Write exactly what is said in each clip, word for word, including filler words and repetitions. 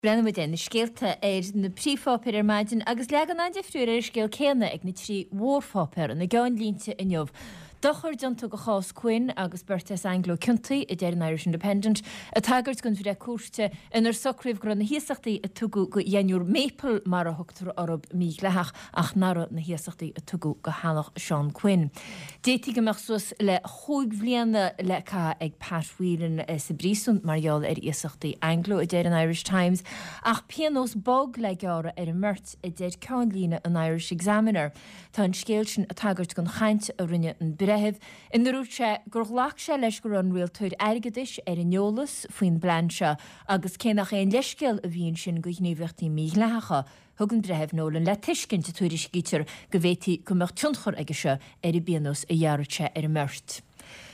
Breathnóidh muid ar na scéalta ar na príomhpháipéir ar maidin agus leagan an-difriúil ar an scéal céanna ag na trí mhórpháipéar ina gceannlínte inniu. Dochar déanta do chás Quinn agus beirt as Anglo ciontaithe, a deir an Irish Independent, ag tagairt don bhreith cúirte inar socraíodh go raibh na hiasachtaí a tugadh do dheichniúr Maple, mar a thugtar orthu, mídhleathach ach nach raibh na hiasachtaí a tugadh do theaghlach Seán Quinn. D'fhéadfaí go mbeadh suas le chúig bhliana le caitheamh ag Pat Whelan sa bpríosún mar gheall ar iasachtaí Anglo, a deir an Irish Times, ach pionós bog le gearradh ar an mbeirt, a deir ceannlíne an Irish Examiner. Tá an scéal sin ag tagairt don chaint a rinne an breitheamh, inar dhúirt sé gur ghlac sé leis go raibh an rialtóir airgeadais ar an eolas faoin bplean seo agus cé nach aon leithscéal a bhí ansin do ghníomhaíochtaí mídhleathacha, Thug an Breitheamh Nolan le tuiscint, a tuairiscítear, go bhféadfaí go mbeadh tionchar aige seo ar an bpionós a ghearrfadh sé ar an mbeirt.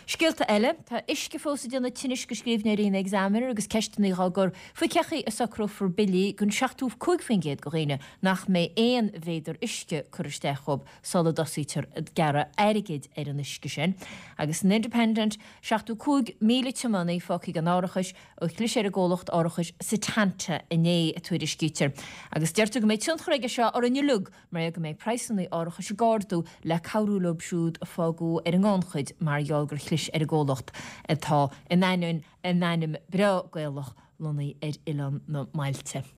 Scéalta eile, Tá uisce fós ag déanamh tinnis do scríbhneoirí an Examiner agus ceisteanna á gcur faoi cén chaoi a socrófar billí don seachtó cúig faoin gcéad de dhaoine nach mbeidh aon mhéadar uisce curtha isteach dhóibh sula dtosaítear ag gearradh airgid ar an uisce sin. Agus san Independent, seachtó cúig míle tiománaí fágtha gan árachas ó chlis ar an gcomhlacht árachais Setanta inné, a tuairiscítear. Agus deirtear go mbeidh tionchar aige seo orainn uilig mar gheall go mbeidh praghsanna árachais ag ardú le cabhrú leo siúd a fágadh ar an ngannchuid mar gheall gur chlis ar an gcomhlacht atá in ainneoin a n-ainm breá Gaelach lonnaithe ar Oileán na mBailte.